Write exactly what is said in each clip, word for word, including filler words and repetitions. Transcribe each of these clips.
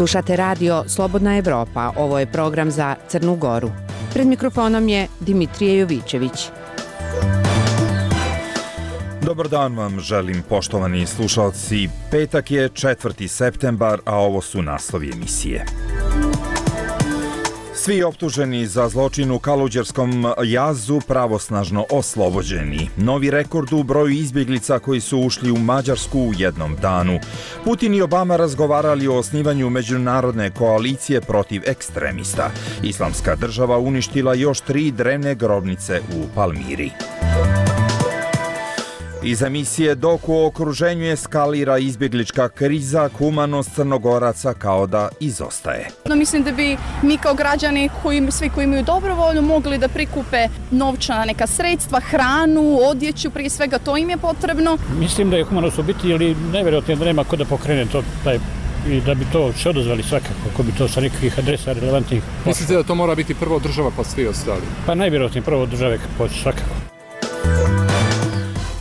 Slušate radio Slobodna Evropa, ovo je program za Crnu Goru. Pred mikrofonom je Dimitrije Jovićević. Dobar dan vam želim, poštovani slušalci. Petak je četvrti septembar, a ovo su naslovi emisije. Svi optuženi za zločin u Kaluđerskom jazu pravosnažno oslobođeni. Novi rekord u broju izbjeglica koji su ušli u Mađarsku u jednom danu. Putin i Obama razgovarali o osnivanju međunarodne koalicije protiv ekstremista. Islamska država uništila još tri drevne grobnice u Palmiri. Iz emisije dok u okruženju eskalira izbjeglička kriza, humanost Crnogoraca kao da izostaje. No, mislim da bi mi kao građani, koji, svi koji imaju dobrovoljno, mogli da prikupe novčana neka sredstva, hranu, odjeću, prije svega to im je potrebno. Mislim da je humanost u biti, ali nevjerojatno da nema ko da pokrene to, taj, i da bi to se odozvali svakako, ako bi to sa nekakvih adresa relevantnih. Mislite da to mora biti prvo država pa svi ostali? Pa najvjerojatnije prvo države kako svakako.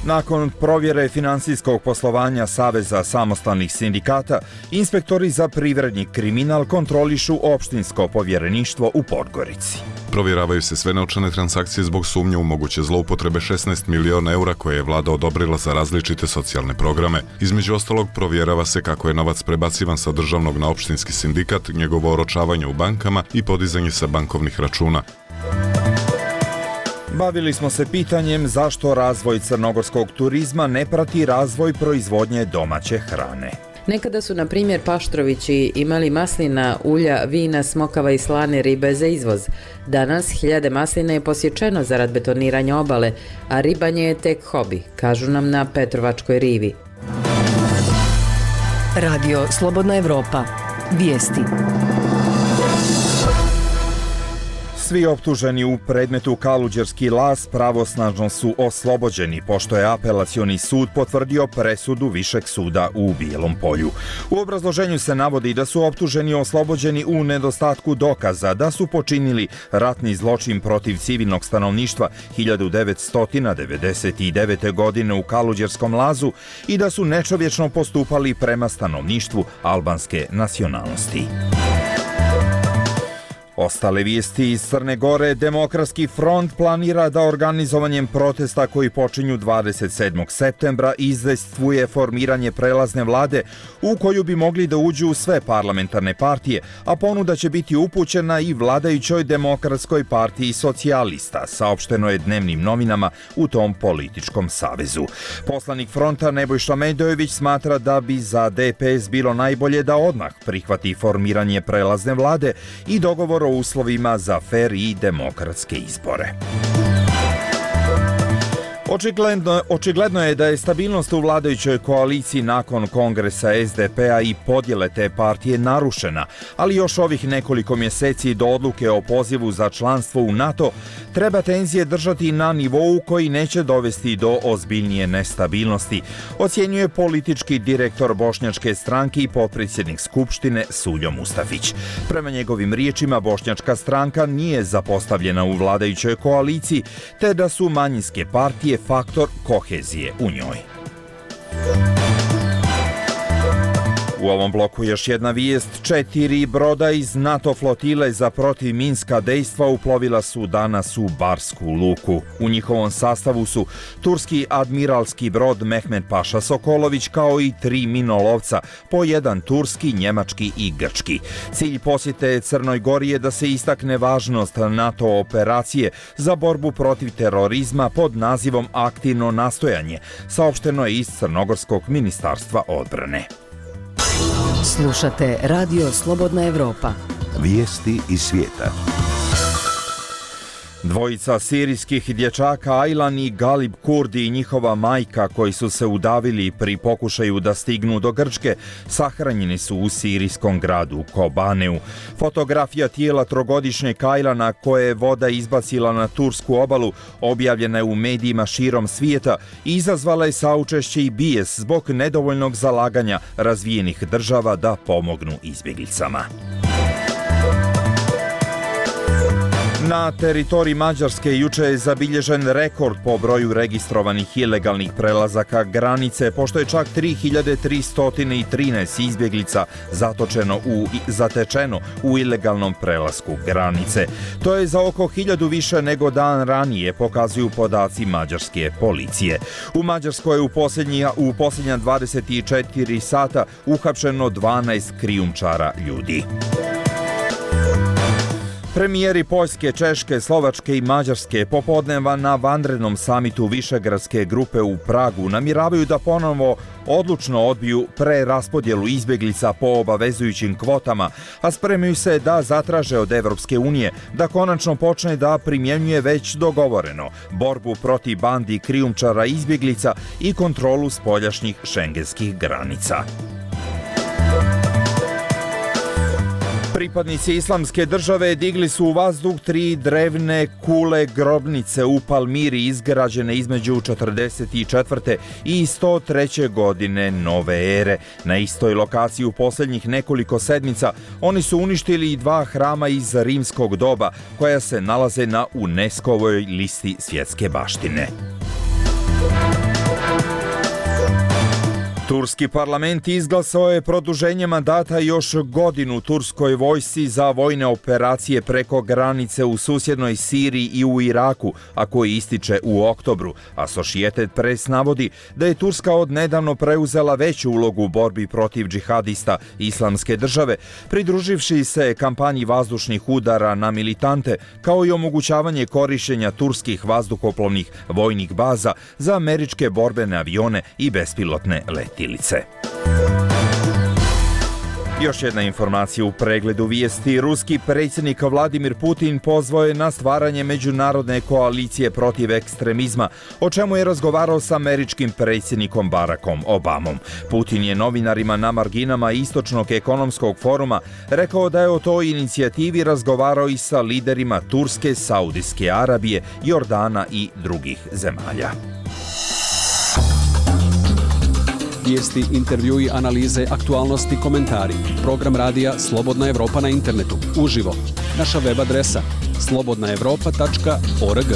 Nakon provjere finansijskog poslovanja Saveza samostalnih sindikata, inspektori za privredni kriminal kontrolišu opštinsko povjereništvo u Podgorici. Provjeravaju se sve novčane transakcije zbog sumnje u moguće zloupotrebe šesnaest miliona eura koje je vlada odobrila za različite socijalne programe. Između ostalog, provjerava se kako je novac prebacivan sa državnog na opštinski sindikat, njegovo oročavanje u bankama i podizanje sa bankovnih računa. Bavili smo se pitanjem zašto razvoj crnogorskog turizma ne prati razvoj proizvodnje domaće hrane. Nekada su, na primjer, Paštrovići imali maslina, ulja, vina, smokava i slane ribe za izvoz. Danas hiljade maslina je posječeno zarad betoniranja obale, a ribanje je tek hobi, kažu nam na Petrovačkoj rivi. Radio Slobodna Evropa. Vijesti. Svi optuženi u predmetu Kaluđerski laz pravosnažno su oslobođeni, pošto je apelacioni sud potvrdio presudu Višeg suda u Bijelom Polju. U obrazloženju se navodi da su optuženi oslobođeni u nedostatku dokaza da su počinili ratni zločin protiv civilnog stanovništva hiljadu devetsto devedeset devete. godine u Kaluđerskom lazu i da su nečovječno postupali prema stanovništvu albanske nacionalnosti. Ostale vijesti iz Crne Gore. Demokratski front planira da organizovanjem protesta koji počinju dvadeset sedmog septembra izdejstvuje formiranje prelazne vlade u koju bi mogli da uđu sve parlamentarne partije, a ponuda će biti upućena i vladajućoj Demokratskoj partiji socijalista, saopšteno je dnevnim novinama u tom političkom savezu. Poslanik fronta Nebojša Medojević smatra da bi za D P S bilo najbolje da odmah prihvati formiranje prelazne vlade i dogovor o uslovima za fer i demokratske izbore. Očigledno, očigledno je da je stabilnost u vladajućoj koaliciji nakon kongresa S D P-a i podjele te partije narušena, ali još ovih nekoliko mjeseci do odluke o pozivu za članstvo u NATO treba tenzije držati na nivou koji neće dovesti do ozbiljnije nestabilnosti, ocjenjuje politički direktor bošnjačke stranke i potpredsjednik Skupštine Suljo Mustafić. Prema njegovim riječima, bošnjačka stranka nije zapostavljena u vladajućoj koaliciji, te da su manjinske partije faktor kohezije u njoj. U ovom bloku još jedna vijest. Četiri broda iz NATO flotile za protivminska dejstva uplovila su danas u Barsku luku. U njihovom sastavu su turski admiralski brod Mehmed Paša Sokolović kao i tri minolovca, po jedan turski, njemački i grčki. Cilj posjete Crnoj Gori je da se istakne važnost NATO operacije za borbu protiv terorizma pod nazivom Aktivno nastojanje, saopšteno je iz Crnogorskog ministarstva odbrane. Slušate Radio Slobodna Evropa. Vijesti iz svijeta. Dvojica sirijskih dječaka Aylan i Galib Kurdi i njihova majka koji su se udavili pri pokušaju da stignu do Grčke sahranjeni su u sirijskom gradu Kobaneu. Fotografija tijela trogodišnjeg Aylana koje je voda izbacila na tursku obalu objavljena je u medijima širom svijeta i izazvala je saučešće i bijes zbog nedovoljnog zalaganja razvijenih država da pomognu izbjeglicama. Na teritoriji Mađarske juče je zabilježen rekord po broju registrovanih ilegalnih prelazaka granice, pošto je čak tri hiljade tristo trinaest izbjeglica zatočeno u, zatečeno u ilegalnom prelasku granice. To je za oko hiljadu više nego dan ranije, pokazuju podaci mađarske policije. U Mađarskoj je u, posljednja, u posljednja dvadeset četiri sata uhapšeno dvanaest krijumčara ljudi. Premijeri Poljske, Češke, Slovačke i Mađarske popodneva na vanrednom samitu Višegradske grupe u Pragu namjeravaju da ponovo odlučno odbiju preraspodjelu izbjeglica po obavezujućim kvotama, a spremaju se da zatraže od Evropske unije da konačno počne da primjenjuje već dogovoreno borbu protiv bandi krijumčara izbjeglica i kontrolu spoljašnjih šengenskih granica. Pripadnici Islamske države digli su u vazduh tri drevne kule grobnice u Palmiri izgrađene između četrdeset četvrte i sto treće godine nove ere. Na istoj lokaciji u posljednjih nekoliko sedmica oni su uništili i dva hrama iz rimskog doba koja se nalaze na UNESCO-ovoj listi svjetske baštine. Turski parlament izglasao je produženje mandata još godinu turskoj vojsci za vojne operacije preko granice u susjednoj Siriji i u Iraku, a koji ističe u oktobru. Associated Press navodi da je Turska odnedavno preuzela veću ulogu u borbi protiv džihadista Islamske države, pridruživši se kampanji vazdušnih udara na militante, kao i omogućavanje korištenja turskih vazduhoplovnih vojnih baza za američke borbene avione i bespilotne letjelice. Još jedna informacija u pregledu vijesti. Ruski predsjednik Vladimir Putin pozvao je na stvaranje međunarodne koalicije protiv ekstremizma, o čemu je razgovarao sa američkim predsjednikom Barackom Obamom. Putin je novinarima na marginama Istočnog ekonomskog foruma rekao da je o toj inicijativi razgovarao i sa liderima Turske, Saudijske Arabije, Jordana i drugih zemalja. Vijesti, intervjui, analize, aktualnosti, komentari. Program radija Slobodna Evropa na internetu. Uživo. Naša web adresa slobodna evropa tačka org.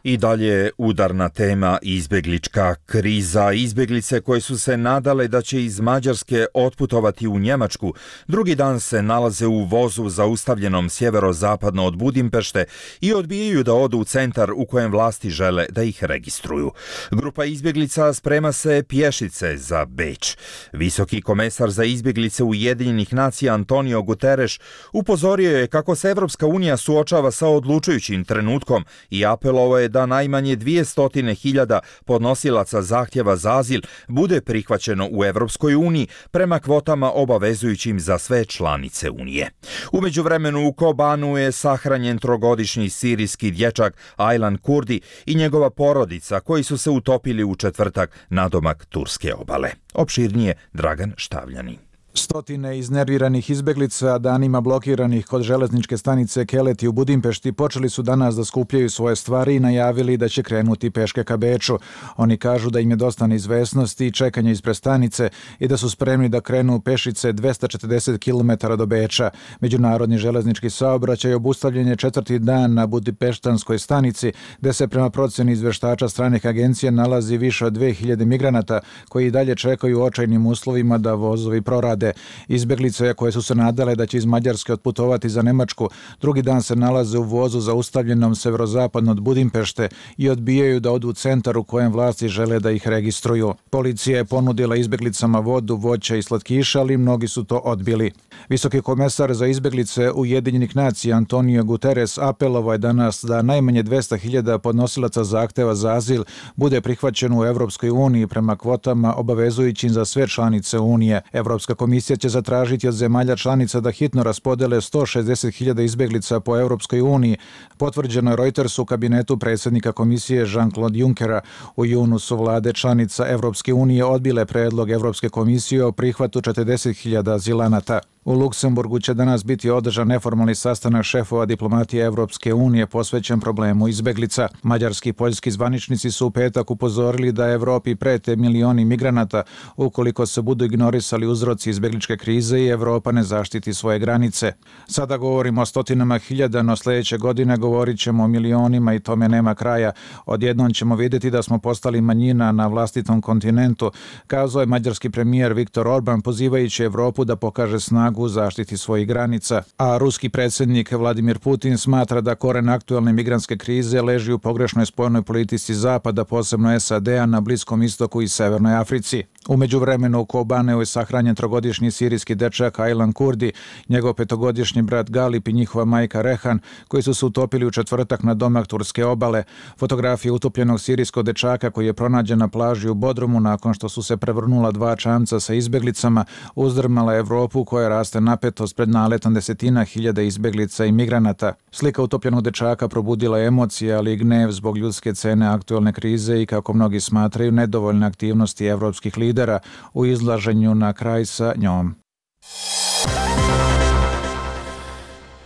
I dalje udarna tema izbjeglička kriza. Izbjeglice koje su se nadale da će iz Mađarske otputovati u Njemačku, drugi dan se nalaze u vozu zaustavljenom sjeverozapadno od Budimpešte i odbijaju da odu u centar u kojem vlasti žele da ih registruju. Grupa izbjeglica sprema se pješice za Beč. Visoki komesar za izbjeglice Ujedinjenih nacija Antonio Guterres upozorio je kako se Evropska unija suočava sa odlučujućim trenutkom i apelovao je da najmanje dvjesto hiljada podnosilaca zahtjeva za azil bude prihvaćeno u Evropskoj uniji prema kvotama obavezujućim za sve članice Unije. U međuvremenu u Kobanu je sahranjen trogodišnji sirijski dječak Aylan Kurdi i njegova porodica koji su se utopili u četvrtak nadomak turske obale. Opširnije Dragan Štavljani. Stotine iznerviranih izbeglica danima blokiranih kod železničke stanice Keleti u Budimpešti počeli su danas da skupljaju svoje stvari i najavili da će krenuti peške ka Beču. Oni kažu da im je dosta neizvesnosti i čekanja ispred stanice i da su spremni da krenu pešice dvesta četrdeset kilometara do Beča. Međunarodni železnički saobraćaj obustavljen je četvrti dan na Budimpeštanskoj stanici, gde se prema procjeni izveštača stranih agencija nalazi više od dve hiljade migranata koji i dalje čekaju u očajnim uslovima da vozovi prorade. Izbjeglice koje su se nadale da će iz Mađarske otputovati za Nemačku, drugi dan se nalaze u vozu zaustavljenom severozapadno od Budimpešte i odbijaju da odu u centar u kojem vlasti žele da ih registruju. Policija je ponudila izbjeglicama vodu, voće i slatkiša, ali mnogi su to odbili. Visoki komesar za izbjeglice Ujedinjenih nacija Antonio Guterres apelovao je danas da najmanje dvesta hiljada podnosilaca zahteva za azil bude prihvaćeno u Evropskoj uniji prema kvotama obavezujućim za sve članice Unije. Evropska komisija Komisija će zatražiti od zemalja članica da hitno raspodele sto šezdeset hiljada izbjeglica po Evropskoj uniji. Potvrđeno je Reutersu u kabinetu predsjednika komisije Jean-Claude Junckera. U junu su vlade članica Evropske unije odbile predlog Evropske komisije o prihvatu četrdeset hiljada azilanata. U Luksemburgu će danas biti održan neformalni sastanak šefova diplomatije Evropske unije posvećen problemu izbeglica. Mađarski i poljski zvaničnici su u petak upozorili da Evropi prete milioni migranata ukoliko se budu ignorisali uzroci izbegličke krize i Evropa ne zaštiti svoje granice. Sada govorimo o stotinama hiljada, no sljedeće godine govorit ćemo o milionima i tome nema kraja. Odjednom ćemo vidjeti da smo postali manjina na vlastitom kontinentu, kazao je mađarski premijer Viktor Orban pozivajući Evropu da pokaže snagu u zaštiti svojih granica. A ruski predsjednik Vladimir Putin smatra da koren aktualne migrantske krize leži u pogrešnoj spoljnoj politici Zapada, posebno S A D-a na Bliskom istoku i Severnoj Africi. U međuvremenu u Kobaneu je sahranjen trogodišnji sirijski dečak Aylan Kurdi, njegov petogodišnji brat Galip i njihova majka Rehan, koji su se utopili u četvrtak na domak turske obale. Fotografije utopljenog sirijskog dečaka koji je pronađen na plaži u Bodrumu nakon što su se prevrnula dva čamca sa izbeglicama uzdrmala Evropu koja raste napetost pred naletom desetina hiljada izbeglica i migranata. Slika utopljenog dečaka probudila emocije, ali i gnev zbog ljudske cene aktualne krize i, kako mnogi smatraju, nedovoljne aktivnosti evropskih lidera u izlaženju na kraj sa njom.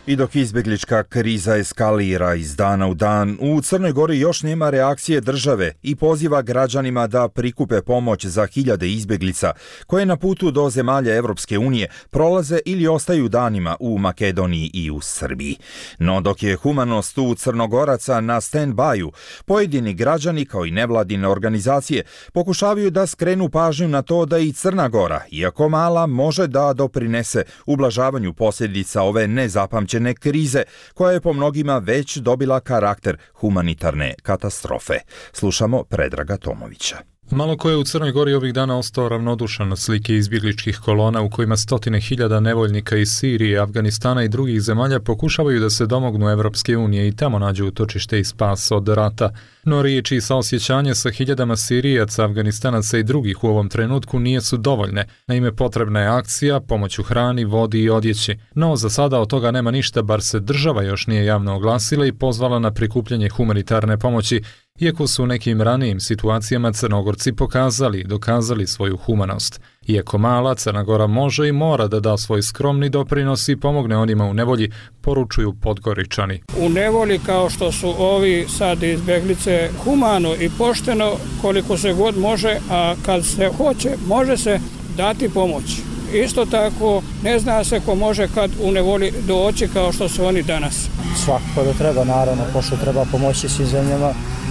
I dok izbjeglička kriza eskalira iz dana u dan, u Crnoj Gori još nema reakcije države i poziva građanima da prikupe pomoć za hiljade izbjeglica koje na putu do zemalja Evropske unije prolaze ili ostaju danima u Makedoniji i u Srbiji. No dok je humanost u Crnogoraca na stand-byu, pojedini građani kao i nevladine organizacije pokušavaju da skrenu pažnju na to da i Crna Gora, iako mala, može da doprinese ublažavanju posljedica ove nezapamćene krize, koja je po mnogima već dobila karakter humanitarne katastrofe. Slušamo Predraga Tomovića. Malo ko je u Crnoj Gori ovih dana ostao ravnodušan na slike izbjegličkih kolona u kojima stotine hiljada nevoljnika iz Sirije, Afganistana i drugih zemalja pokušavaju da se domognu Evropske unije i tamo nađu utočište i spas od rata. No riječi i saosjećanje sa hiljadama Sirijaca, Afganistanaca i drugih u ovom trenutku nije su dovoljne. Naime, potrebna je akcija, pomoć u hrani, vodi i odjeći. No, za sada od toga nema ništa, bar se država još nije javno oglasila i pozvala na prikupljanje humanitarne pomoći, iako su u nekim ranijim situacijama Crnogorci pokazali i dokazali svoju humanost. Iako mala, Crna Gora može i mora da da svoj skromni doprinos i pomogne onima u nevolji, poručuju Podgoričani. U nevolji kao što su ovi sad izbjeglice, humano i pošteno koliko se god može, a kad se hoće, može se dati pomoć. Isto tako, ne zna se ko može kad u nevolji doći kao što su oni danas. Svakako da treba, naravno, pošto treba pomoći svim zemljama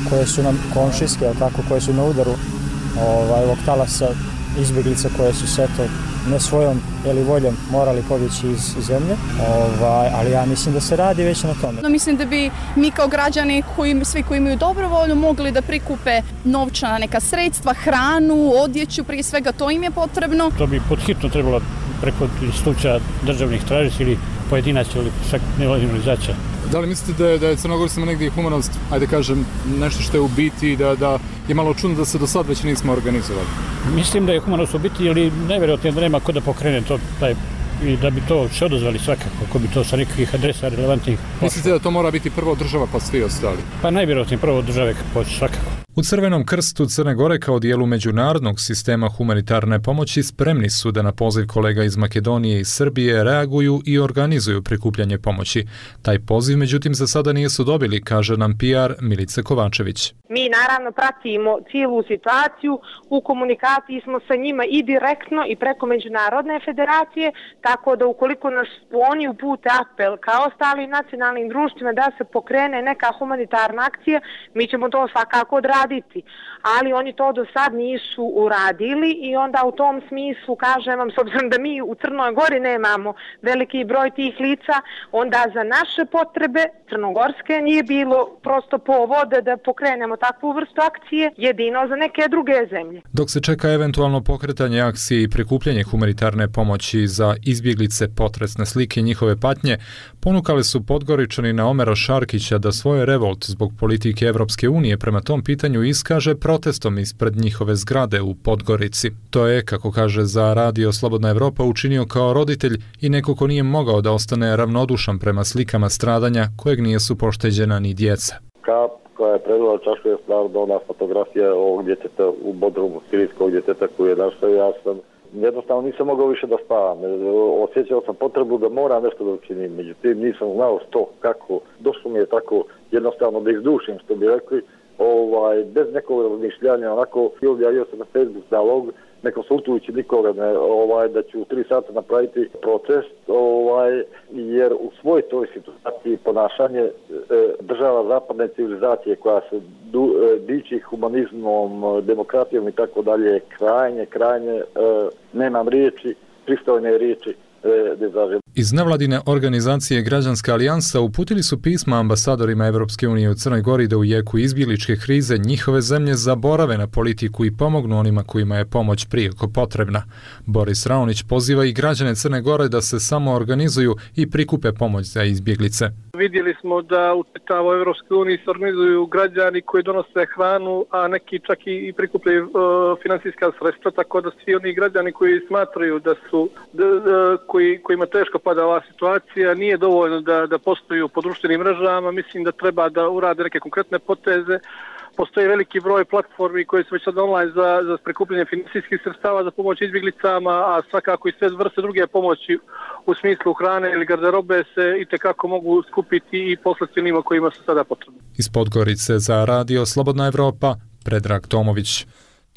koje su nam komšijske, tako, koje su na udaru ovaj, ovog talasa izbjeglica koje su se to ne svojom ili voljom morali pobjeći iz zemlje, ovaj, ali ja mislim da se radi već na tome. No, mislim da bi mi kao građani, koji, svi koji imaju dobrovoljno, mogli da prikupe novčana neka sredstva, hranu, odjeću, prije svega to im je potrebno. To bi podhitno trebalo preko institucija državnih tražiti ili pojedinaca ili čak nevladnih organizacija. Da li mislite da je, da je Crnogorcima negdje humanost, ajde kažem, nešto što je u biti, da, da je malo čudno da se do sad već nismo organizovali? Mislim da je humanost u biti, ali nevjerojatno da nema ko da pokrene to, taj, i da bi to se odazvali svakako, ako bi to sa nekakvih adresa relevantnih. Mislite da to mora biti prvo država pa svi ostali? Pa najvjerojatnije prvo države počne svakako. U Crvenom krstu Crne Gore kao dijelu međunarodnog sistema humanitarne pomoći spremni su da na poziv kolega iz Makedonije i Srbije reaguju i organizuju prikupljanje pomoći. Taj poziv, međutim, za sada nisu dobili, kaže nam P R Milica Kovačević. Mi naravno pratimo cijelu situaciju, u komunikaciji smo sa njima i direktno i preko Međunarodne federacije, tako da ukoliko nas oni upute apel kao ostalim nacionalnim društvima da se pokrene neka humanitarna akcija, mi ćemo to svakako odraditi. Ali oni to do sad nisu uradili i onda u tom smislu kažem vam, s obzirom da mi u Crnoj Gori nemamo veliki broj tih lica, onda za naše potrebe crnogorske nije bilo prosto povoda da pokrenemo takvu vrstu akcije, jedino za neke druge zemlje. Dok se čeka eventualno pokretanje akcije i prikupljanje humanitarne pomoći za izbjeglice, potresne slike njihove patnje, ponukali su Podgoričani na Omera Šarkića da svoje revolt zbog politike Evropske unije prema tom pitanju iskaže protestom ispred njihove zgrade u Podgorici. To je, kako kaže za Radio Slobodna Evropa, učinio kao roditelj i neko ko nije mogao da ostane ravnodušan prema slikama stradanja kojeg nijesu pošteđena ni djeca. Kap koja je predala čašu je stvarno ona fotografija ovog djeteta u Bodrumu, sirijskog djeteta koji je našao, ja sam jednostavno nisam mogao više da spavam. Osjećao sam potrebu da moram nešto da učinim, međutim nisam znao što, kako. Došlo mi je tako jednostavno da izdušim, što bi rekli, ovaj, bez nekog razmišljanja, onako objavio sam na Facebook nalog, ne konsultujući nikoga, ne, ovaj, da ću u tri sata napraviti protest, ovaj, jer u svoj toj situaciji ponašanje e, država zapadne civilizacije koja se du, e, diči humanizmom, demokratijom i tako dalje, krajnje, krajnje, e, nemam riječi, pristojne riječi, Iz nevladine organizacije Građanska alijansa uputili su pisma ambasadorima Evropske unije u Crnoj Gori da u jeku izbjegličke krize njihove zemlje zaborave na politiku i pomognu onima kojima je pomoć prijeko potrebna. Boris Raonić poziva i građane Crne Gore da se samo organizuju i prikupe pomoć za izbjeglice. Vidjeli smo da u čitavoj Evropskoj uniji se organizuju građani koji donose hranu, a neki čak i prikupljaju uh, finansijska sredstva, tako da svi oni građani koji smatraju da su da, da, koji, kojima teško pada ova situacija, nije dovoljno da, da postoju po društvenim mrežama. Mislim da treba da urade neke konkretne poteze. Postoji veliki broj platformi koje su već sad online za, za prikupljanje finansijskih sredstava za pomoć izbjeglicama, a svakako i sve vrste druge pomoći u smislu hrane ili garderobe se itekako mogu skupiti i poslati onima kojima su sada potrebni. Iz Podgorice za radio Slobodna Evropa, Predrag Tomović.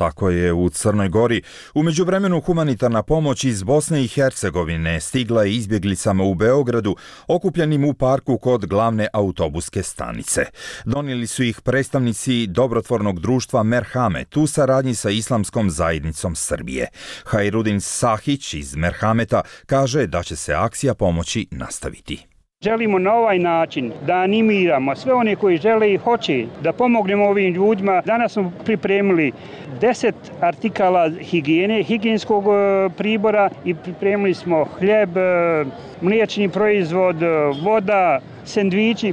Tako je u Crnoj Gori. U međuvremenu humanitarna pomoć iz Bosne i Hercegovine stigla je izbjeglicama u Beogradu, okupljenim u parku kod glavne autobuske stanice. Donijeli su ih predstavnici dobrotvornog društva Merhamet u saradnji sa Islamskom zajednicom Srbije. Hajrudin Sahić iz Merhameta kaže da će se akcija pomoći nastaviti. Želimo na ovaj način da animiramo sve one koji žele i hoće da pomognemo ovim ljudima. Danas smo pripremili deset artikala higijene, higijenskog pribora i pripremili smo hljeb, mliječni proizvod, voda, sendviči.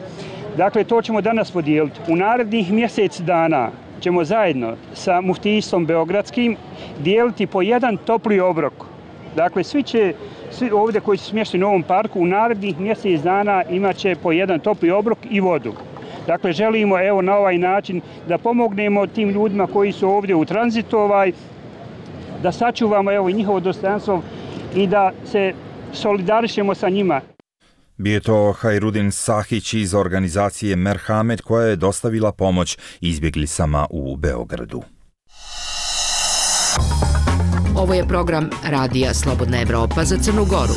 Dakle, to ćemo danas podijeliti. U narednih mjesec dana ćemo zajedno sa muftijstvom beogradskim dijeliti po jedan topli obrok. Dakle, svi će Svi ovdje koji su smješteni u ovom parku u narednih mjesec dana imat će po jedan topli obrok i vodu. Dakle, želimo evo na ovaj način da pomognemo tim ljudima koji su ovdje u tranzitu, ovaj, da sačuvamo evo njihovo dostojanstvo i da se solidarišemo sa njima. Bio je to Hajrudin Sahić iz organizacije Merhamet koja je dostavila pomoć izbjeglicama u Beogradu. Ovo je program Radija Slobodna Evropa za Crnu Goru.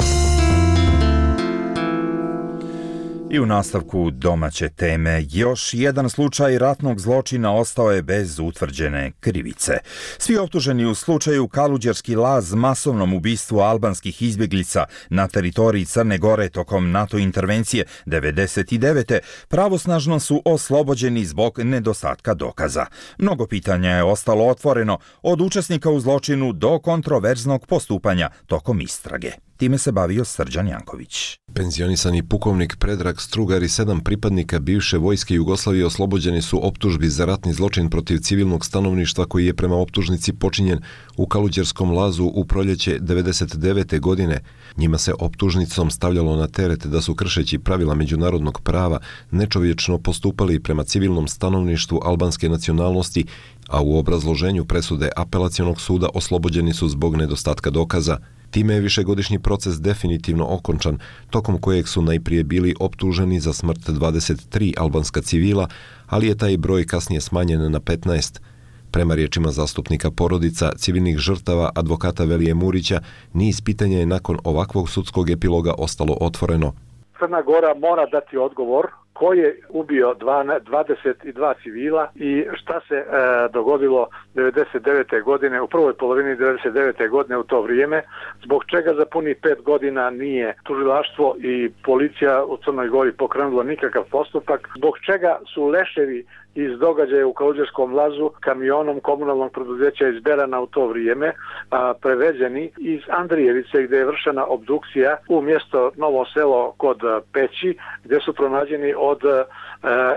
I u nastavku domaće teme, još jedan slučaj ratnog zločina ostao je bez utvrđene krivice. Svi optuženi u slučaju Kaluđerski laz masovnom ubistvu albanskih izbjeglica na teritoriji Crne Gore tokom NATO intervencije devedeset devete. pravosnažno su oslobođeni zbog nedostatka dokaza. Mnogo pitanja je ostalo otvoreno, od učesnika u zločinu do kontroverznog postupanja tokom istrage. Time se bavio Srđan Janković. Penzionisani pukovnik Predrag Strugar i sedam pripadnika bivše vojske Jugoslavije oslobođeni su optužbi za ratni zločin protiv civilnog stanovništva koji je prema optužnici počinjen u Kaluđerskom lazu u proljeće devedeset devete. godine. Njima se optužnicom stavljalo na teret da su kršeći pravila međunarodnog prava nečovječno postupali prema civilnom stanovništvu albanske nacionalnosti, a u obrazloženju presude apelacionog suda oslobođeni su zbog nedostatka dokaza. Time je višegodišnji proces definitivno okončan, tokom kojeg su najprije bili optuženi za smrt dvadeset tri albanska civila, ali je taj broj kasnije smanjen na petnaest. Prema riječima zastupnika porodica civilnih žrtava advokata Velije Murića, niz pitanja je nakon ovakvog sudskog epiloga ostalo otvoreno. Crna Gora mora dati odgovor ko je ubio dvadeset dva civila i šta se e, dogodilo devedeset devete. godine, u prvoj polovini devedeset devete. godine u to vrijeme, zbog čega za puni pet godina nije tužilaštvo i policija u Crnoj Gori pokrenulo nikakav postupak, zbog čega su leševi iz događaja u Kaluđerskom lazu kamionom komunalnog preduzeća iz Berana u to vrijeme a, preveđeni iz Andrijevice gdje je vršena obdukcija u mjesto Novo Selo kod Peći gdje su pronađeni od a,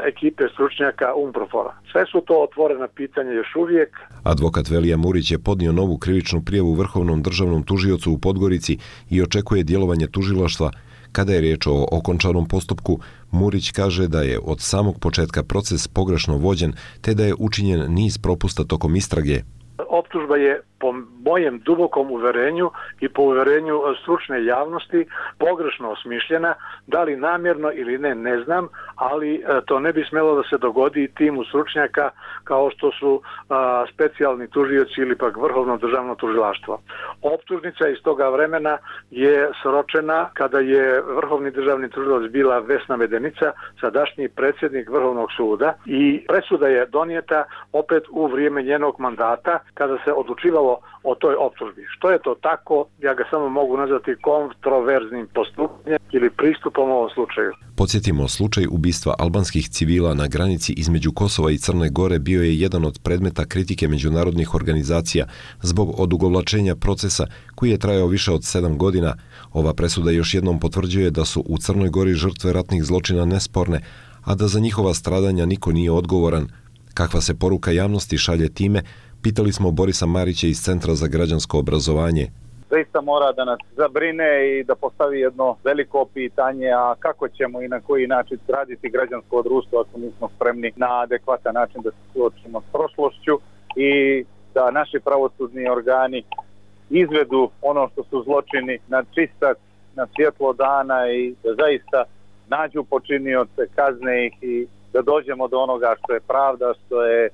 ekipe stručnjaka Umprofora. Sve su to otvorena pitanja još uvijek. Advokat Velija Murić je podnio novu krivičnu prijavu Vrhovnom državnom tužiocu u Podgorici i očekuje djelovanje tužilaštva. Kada je riječ o okončanom postupku, Murić kaže da je od samog početka proces pogrešno vođen te da je učinjen niz propusta tokom istrage. Optužba je po mojem dubokom uverenju i po uverenju stručne javnosti pogrešno osmišljena, da li namjerno ili ne, ne znam, ali to ne bi smjelo da se dogodi timu stručnjaka kao što su a, specijalni tužioci ili pak Vrhovno državno tužilaštvo. Optužnica iz toga vremena je sročena kada je Vrhovni državni tužilac bila Vesna Medenica, sadašnji predsjednik Vrhovnog suda, i presuda je donijeta opet u vrijeme njenog mandata kada se odlučivalo o toj optužbi. Što je to tako, ja ga samo mogu nazvati kontroverznim postupanjem ili pristupom u ovom slučaju. Podsjetimo, slučaj ubistva albanskih civila na granici između Kosova i Crne Gore bio je jedan od predmeta kritike međunarodnih organizacija zbog odugovlačenja procesa koji je trajao više od sedam godina. Ova presuda još jednom potvrđuje da su u Crnoj Gori žrtve ratnih zločina nesporne, a da za njihova stradanja niko nije odgovoran. Kakva se poruka javnosti šalje time, pitali smo Borisa Marića iz Centra za građansko obrazovanje. Zaista mora da nas zabrine i da postavi jedno veliko pitanje, a kako ćemo i na koji način raditi građansko društvo ako nismo spremni na adekvatan način da se suočimo s prošlošću i da naši pravosudni organi izvedu ono što su zločini na čistac, na svjetlo dana i da zaista nađu počinioce, kazne ih i da dođemo do onoga što je pravda, što je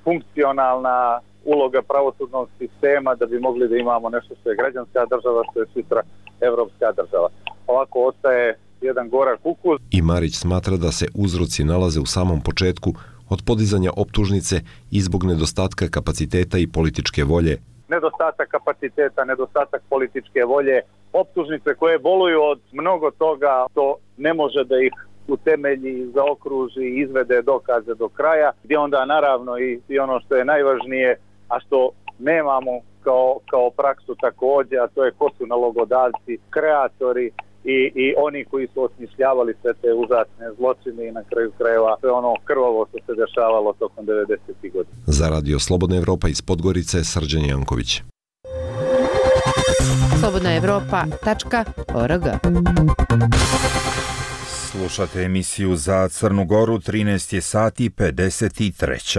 funkcionalna uloga pravosudnog sistema da bi mogli da imamo nešto što je građanska država, što je sutra evropska država. Ovako ostaje jedan gorak ukus. I Marić smatra da se uzroci nalaze u samom početku, od podizanja optužnice i zbog nedostatka kapaciteta i političke volje. Nedostatak kapaciteta, nedostatak političke volje, optužnice koje boluju od mnogo toga, to ne može da ih utemelji, zaokruži i izvede dokaze do kraja, gdje onda naravno i, i ono što je najvažnije, a što nemamo kao, kao praksu također, a to je ko su nalogodavci, kreatori i, i oni koji su osmišljavali sve te užasne zločine i na kraju krajeva sve ono krvavo što se dešavalo tokom devedesetih godina. Za Radio Slobodna Evropa iz Podgorice, Srđan Janković. slobodna evropa tačka org. Slušate emisiju za Crnu Goru, trinaest je sati pedeset tri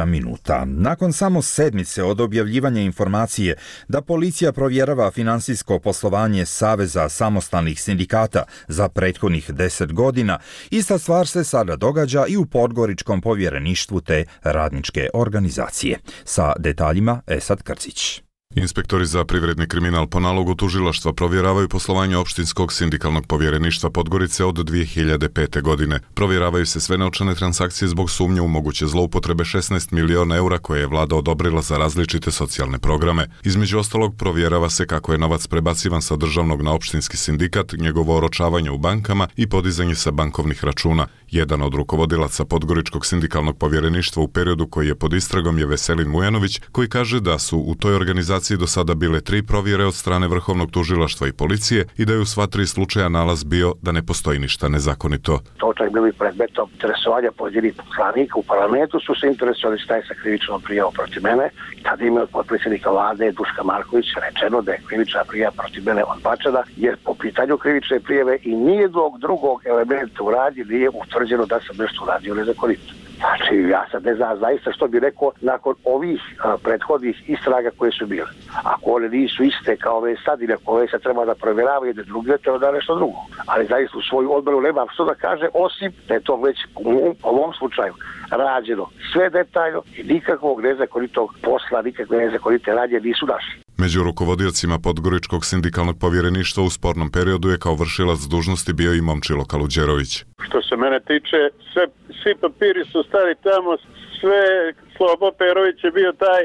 minuta. Nakon samo sedmice od objavljivanja informacije da policija provjerava finansijsko poslovanje Saveza samostalnih sindikata za prethodnih deset godina, ista stvar se sada događa i u Podgoričkom povjereništvu te radničke organizacije. Sa detaljima Esad Krcić. Inspektori za privredni kriminal po nalogu tužilaštva provjeravaju poslovanje opštinskog sindikalnog povjereništva Podgorice od dvije hiljade pete. godine. Provjeravaju se sve novčane transakcije zbog sumnje u moguće zloupotrebe šesnaest miliona eura koje je vlada odobrila za različite socijalne programe. Između ostalog provjerava se kako je novac prebacivan sa državnog na opštinski sindikat, njegovo oročavanje u bankama i podizanje sa bankovnih računa. Jedan od rukovodilaca Podgoričkog sindikalnog povjereništva u periodu koji je pod istragom je Veselin Mujanović, koji kaže da su u toj organizaciji do sada bile tri provjere od strane Vrhovnog tužilaštva i policije i da je u sva tri slučaja nalaz bio da ne postoji ništa nezakonito. To čak bili predmetom interesovanja pojedinih poslanika u parlamentu, su se interesovali šta je sa krivičnom prijavom protiv mene. Tada im je od potpredsjednika vlade Duška Marković rečeno da je krivična prijava protiv mene odbačena, jer po pitanju krivične prijave i nijednog drugog elementa u radnji nije utvrđeno da sam nešto uradio nezakonito. Znači, ja sad ne znam zaista što bi rekao nakon ovih a, prethodnih istraga koje su bile. Ako one nisu iste kao ove sad ili ako ove sad treba da provjerava jedne druge, treba da nešto drugo. Ali zaista u svoju odbranu nema što da kaže, osim da je to već u ovom slučaju rađeno sve detaljno i nikakvog nezakonitog posla, nikakve nezakonite radnje nisu našli. Među rukovodiocima Podgoričkog sindikalnog povjereništva u spornom periodu je kao vršilac dužnosti bio i Momčilo Kaluđerović. Što se mene tiče, sve, svi papiri su stali tamo, sve Slobo Perović je bio taj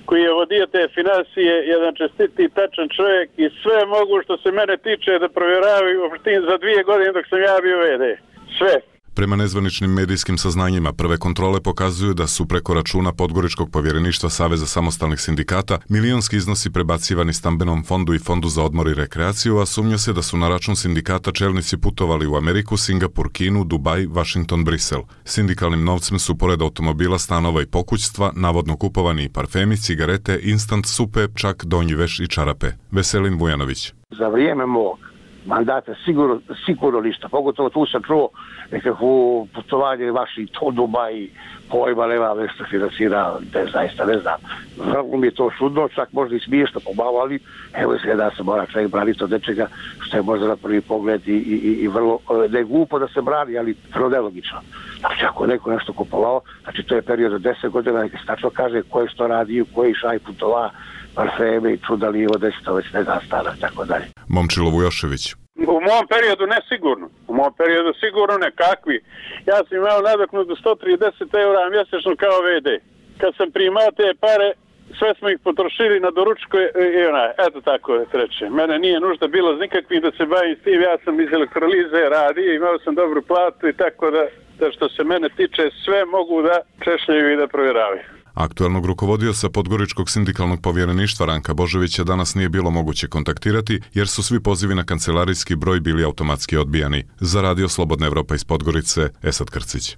koji je vodio te financije, jedan čestiti i tačan čovjek i sve mogu što se mene tiče da provjeravaju za dvije godine dok sam ja bio ve de. Sve. Prema nezvaničnim medijskim saznanjima, prve kontrole pokazuju da su preko računa Podgoričkog povjereništva Saveza samostalnih sindikata milionski iznosi prebacivani stambenom fondu i fondu za odmor i rekreaciju, a sumnja se da su na račun sindikata čelnici putovali u Ameriku, Singapur, Kinu, Dubaj, Washington, Brisel. Sindikalnim novcem su pored automobila, stanova i pokućstva navodno kupovani i parfemi, cigarete, instant supe, čak donji veš i čarape. Veselin Vujanović. Za vrijeme mog mandata sigurno, sigurno ništa. Pogotovo tu sam čuo nekakvo putovanje Vašington, Dubaj, pojma nema nešto financira, ne, zaista ne znam. Vrlo mi je to čudno, čak možda i smiješno pomalo, ali evo izgleda da se mora čovjek braniti od nečega što je možda na prvi pogled i, i, i vrlo, ne glupo da se brani, ali vrlo nelogično. Znači ako je neko nešto kupovao, znači to je period od deset godina, neka se tačno kaže ko je što radio, ko je išao i putova, parfeme i čudali od deset, već ne znam stana, tako dalje. Momčilo Vujošević. U mom periodu ne sigurno. U mom periodu sigurno nekakvi. Ja sam imao nadoknadu sto trideset eura mjesečno kao ve de. Kad sam primao te pare, sve smo ih potrošili na doručku i onaj, eto tako treće. Mene nije nužda bilo nikakvih da se bavim s tim, ja sam iz elektrolize radio, imao sam dobru platu i tako da, da što se mene tiče sve mogu da češljaju i da provjeravaju. Aktuelnog rukovodioca Podgoričkog sindikalnog povjereništva Ranka Božovića danas nije bilo moguće kontaktirati jer su svi pozivi na kancelarijski broj bili automatski odbijani. Za Radio Slobodna Evropa iz Podgorice, Esad Krcić.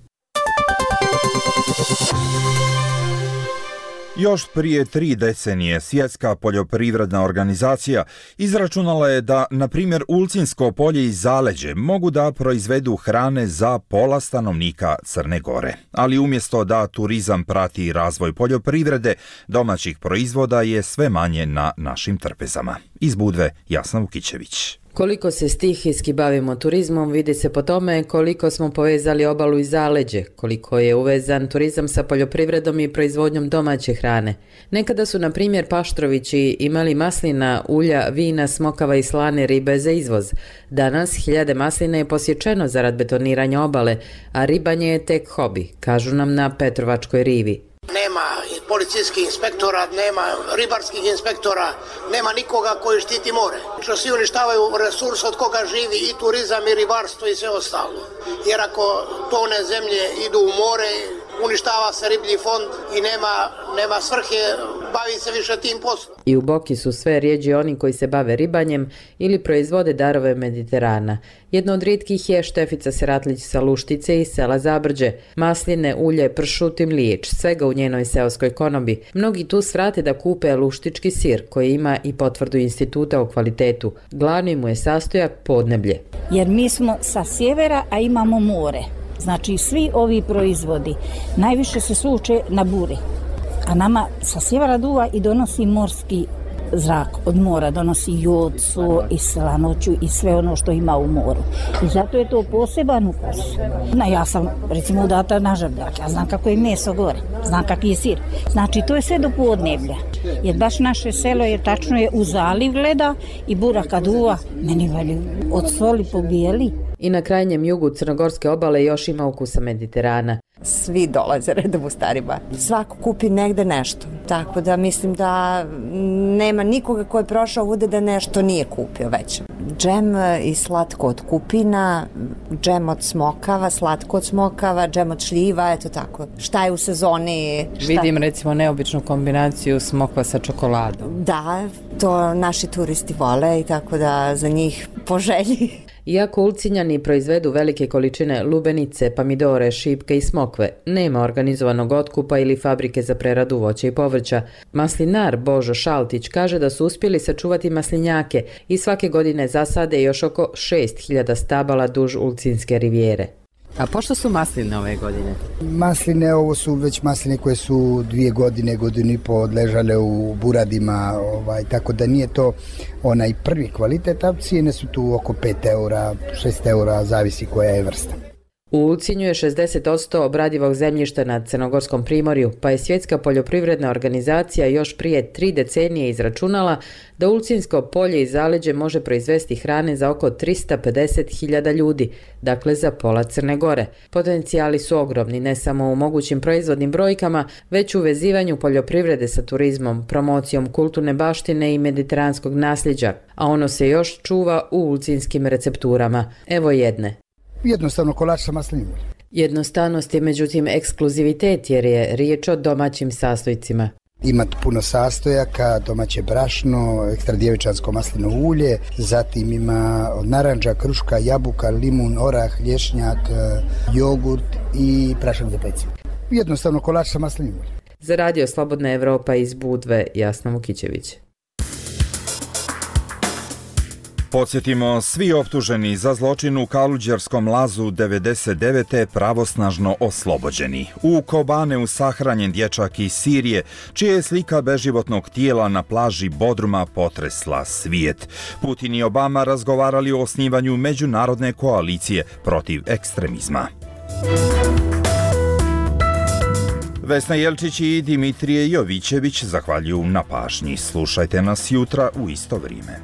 Još prije tri decenije Svjetska poljoprivredna organizacija izračunala je da, na primjer, Ulcinsko polje i Zaleđe mogu da proizvedu hrane za pola stanovnika Crne Gore. Ali umjesto da turizam prati razvoj poljoprivrede, domaćih proizvoda je sve manje na našim trpezama. Iz Budve, Jasna Vukićević. Koliko se stihijski bavimo turizmom vidi se po tome koliko smo povezali obalu i zaleđe, koliko je uvezan turizam sa poljoprivredom i proizvodnjom domaće hrane. Nekada su, na primjer, Paštrovići imali maslina, ulja, vina, smokava i slane ribe za izvoz. Danas hiljade maslina je posječeno zarad betoniranja obale, a ribanje je tek hobi, kažu nam na Petrovačkoj rivi. Nema policijskih inspektora, nema ribarskih inspektora, nema nikoga koji štiti more. Što svi uništavaju resurs od koga živi i turizam i ribarstvo i sve ostalo. Jer ako tone zemlje idu u more, uništava se riblji fond i nema, nema svrhe, bavi se više tim poslom. I u Boki su sve rijeđi oni koji se bave ribanjem ili proizvode darove Mediterana. Jedno od rijetkih je Štefica Seratlić sa Luštice iz sela Zabrđe. Masline, ulje, pršut i mliječ, svega u njenoj seoskoj konobi. Mnogi tu svrate da kupe luštički sir, koji ima i potvrdu instituta o kvalitetu. Glavni mu je sastojak podneblje. Jer mi smo sa sjevera, a imamo more. Znači svi ovi proizvodi najviše se sluče na buri, a nama sa sjevera duva i donosi morski zrak od mora, donosi jod, so i slanoću i sve ono što ima u moru. I zato je to poseban ukus. Na, ja sam recimo udata na Žabljak, ja znam kako je meso gore, znam kak je sir. Znači to je sve do podneblja. Jer baš naše selo je tačno je u zaliv gleda i bura kad uva, meni veli od soli pobijeli. I na krajnjem jugu Crnogorske obale još ima ukusa Mediterana. Svi dolaze redom u Stari Bar. Svako kupi negde nešto. Tako da mislim da nema nikoga ko je prošao ovdje da nešto nije kupio već. Džem i slatko od kupina, džem od smokava, slatko od smokava, džem od šljiva, eto tako. Šta je u sezoni? Šta... Vidim recimo neobičnu kombinaciju smokva sa čokoladom. Da, to naši turisti vole i tako da za njih poželji. Iako Ulcinjani proizvedu velike količine lubenice, pomidore, šipke i smokve, nema organizovanog otkupa ili fabrike za preradu voća i povrća. Maslinar Božo Šaltić kaže da su uspjeli sačuvati maslinjake i svake godine zasade još oko šest hiljada stabala duž Ulcinske rivijere. A pošto su masline ove godine? Masline, ovo su već masline koje su dvije godine, godinu i po odležale u buradima, ovaj, tako da nije to onaj prvi kvalitet, a cijene su tu oko pet eura, šest eura, zavisi koja je vrsta. U Ulcinju je šezdeset posto obradivog zemljišta na Crnogorskom primorju, pa je Svjetska poljoprivredna organizacija još prije tri decenije izračunala da Ulcinsko polje i zaleđe može proizvesti hrane za oko tristo pedeset hiljada ljudi, dakle za pola Crne Gore. Potencijali su ogromni ne samo u mogućim proizvodnim brojkama, već u vezivanju poljoprivrede sa turizmom, promocijom kulturne baštine i mediteranskog nasljeđa, a ono se još čuva u ulcinskim recepturama. Evo jedne. Jednostavno kolač sa maslinim uljem. Jednostavnost je međutim ekskluzivitet jer je riječ o domaćim sastojcima. Ima puno sastojaka, domaće brašno, ekstra djevičansko maslinovo ulje, zatim ima od naranđa, kruška, jabuka, limun, orah, lješnjak, jogurt i prašak za pecivo. Jednostavno kolač sa maslinim uljem. Za Radio Slobodna Evropa iz Budve, Jasna Vukićević. Podsjetimo, svi optuženi za zločin u Kaluđerskom lazu devedeset devete pravosnažno oslobođeni. U Kobaneu sahranjen dječak iz Sirije, čija je slika beživotnog tijela na plaži Bodruma potresla svijet. Putin i Obama razgovarali o osnivanju međunarodne koalicije protiv ekstremizma. Vesna Jelčić i Dimitrije Jovićević zahvaljuju na pažnji. Slušajte nas jutra u isto vrijeme.